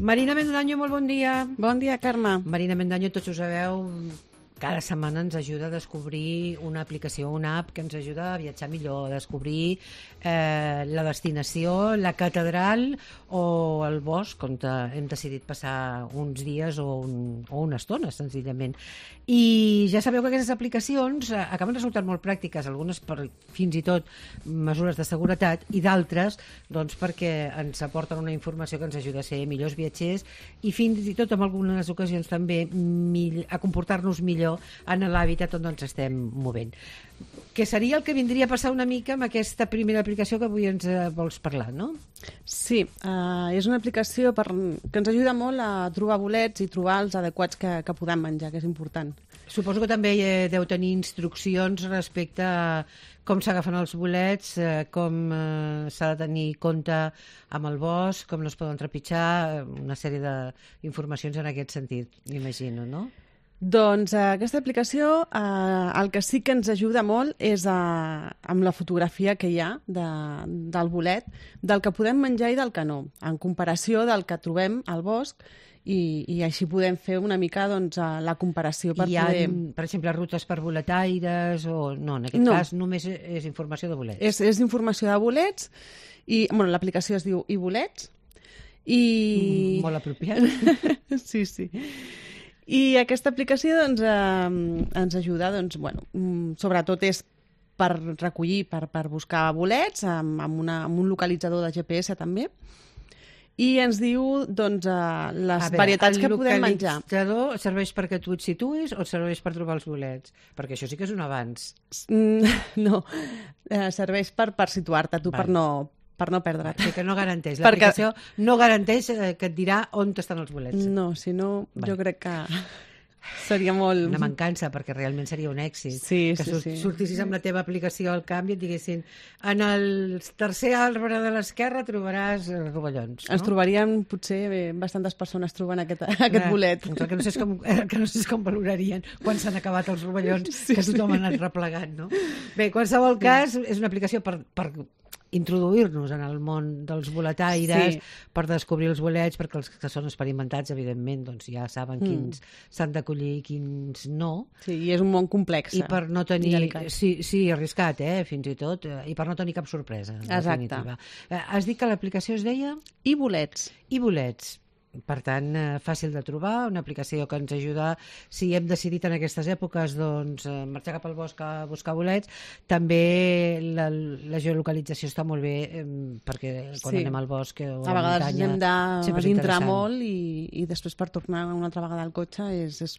Marina Mendaño, molt bon dia. Bon dia, Carme. Marina Mendaño, tots ho sabeu, cada setmana ens ajuda a descobrir una aplicació, una app que ens ajuda a viatjar millor, a descobrir la destinació, la catedral o el bosc, on hem decidit passar uns dies o una estona, senzillament. I ja sabeu que aquestes aplicacions acaben resultant molt pràctiques, algunes per fins i tot mesures de seguretat i d'altres doncs, perquè ens aporten una informació que ens ajuda a ser millors viatgers i fins i tot en algunes ocasions també a comportar-nos millor en l'hàbitat on ens estem movent. Que seria el que vindria a passar una mica amb aquesta primera aplicació que avui ens vols parlar, no? Sí, és una aplicació que ens ajuda molt a trobar bolets i trobar els adequats que podem menjar, que és important. Suposo que també deu tenir instruccions respecte a com s'agafen els bolets, com s'ha de tenir compte amb el bosc, com no es poden trepitjar, una sèrie d'informacions en aquest sentit, m'imagino, no? Doncs aquesta aplicació el que sí que ens ajuda molt és amb la fotografia que hi ha del bolet, del que podem menjar i del que no, en comparació del que trobem al bosc i així podem fer una mica doncs, la comparació per poder... per exemple, rutes per boletaires o... No, en aquest cas només és informació de bolets. És informació de bolets i l'aplicació es diu iBolets i... Molt apropiat. Sí, sí. I aquesta aplicació doncs, ens ajuda, doncs, sobretot és per recollir, per buscar bolets, amb un localitzador de GPS també, i ens diu doncs, les varietats que podem menjar. El localitzador serveix perquè tu et situïs o serveix per trobar els bolets? Perquè això sí que és un avanç. No, serveix per situar-te tu, per no perdre't. Sí, que no garanteix. L'aplicació no garanteix que et dirà on estan els bolets. No, si no, jo crec que seria molt... Una mancança, perquè realment seria un èxit. Sí, que sortissis amb la teva aplicació al camp i et diguessin en el tercer arbre de l'esquerra trobaràs rovellons. Ens trobaríem, potser, bastantes persones trobant aquest bolet. Que no sé com valorarien quan s'han acabat els rovellons que tothom ha anat replegant, no? Bé, en qualsevol cas, és una aplicació per introduir-nos en el món dels boletaires, per descobrir els bolets, perquè els que són experimentats, evidentment, doncs ja saben quins s'han d'acollir i quins no. Sí, i és un món complex. I per no tenir... Sí, arriscat, fins i tot, i per no tenir cap sorpresa. Exacte. Has dit que l'aplicació es deia? iBolets. iBolets. Per tant, fàcil de trobar, una aplicació que ens ajuda, si hem decidit en aquestes èpoques doncs, marxar cap al bosc a buscar bolets. També la geolocalització està molt bé, perquè quan anem al bosc o a la muntanya... A vegades hem d'entrar molt i després per tornar una altra vegada al cotxe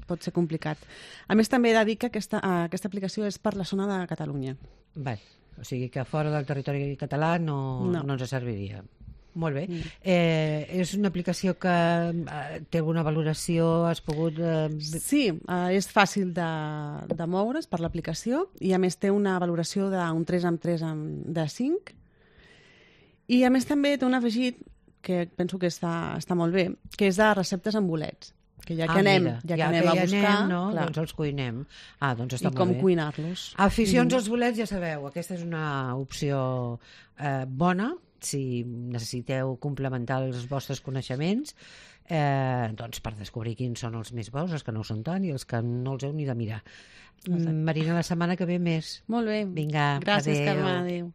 pot ser complicat. A més, també he de dir que aquesta aplicació és per la zona de Catalunya. Bé, o sigui que fora del territori català no ens serviria. Molt bé. És una aplicació que té alguna valoració? Has pogut... Sí, és fàcil de moure's per l'aplicació i a més té una valoració d'un 3/3 de 5 i a més també té un afegit que penso que està molt bé, que és de receptes amb bolets. Que ja que anem a buscar... doncs els cuinem. Doncs està molt bé. I com cuinar-los. Aficions als bolets, ja sabeu, aquesta és una opció bona, si necessiteu complementar els vostres coneixements, doncs per descobrir quins són els més bons, els que no ho són tant i els que no els heu ni de mirar. Marina, la setmana que ve més. Molt bé. Vinga, gràcies, Carme. Adéu.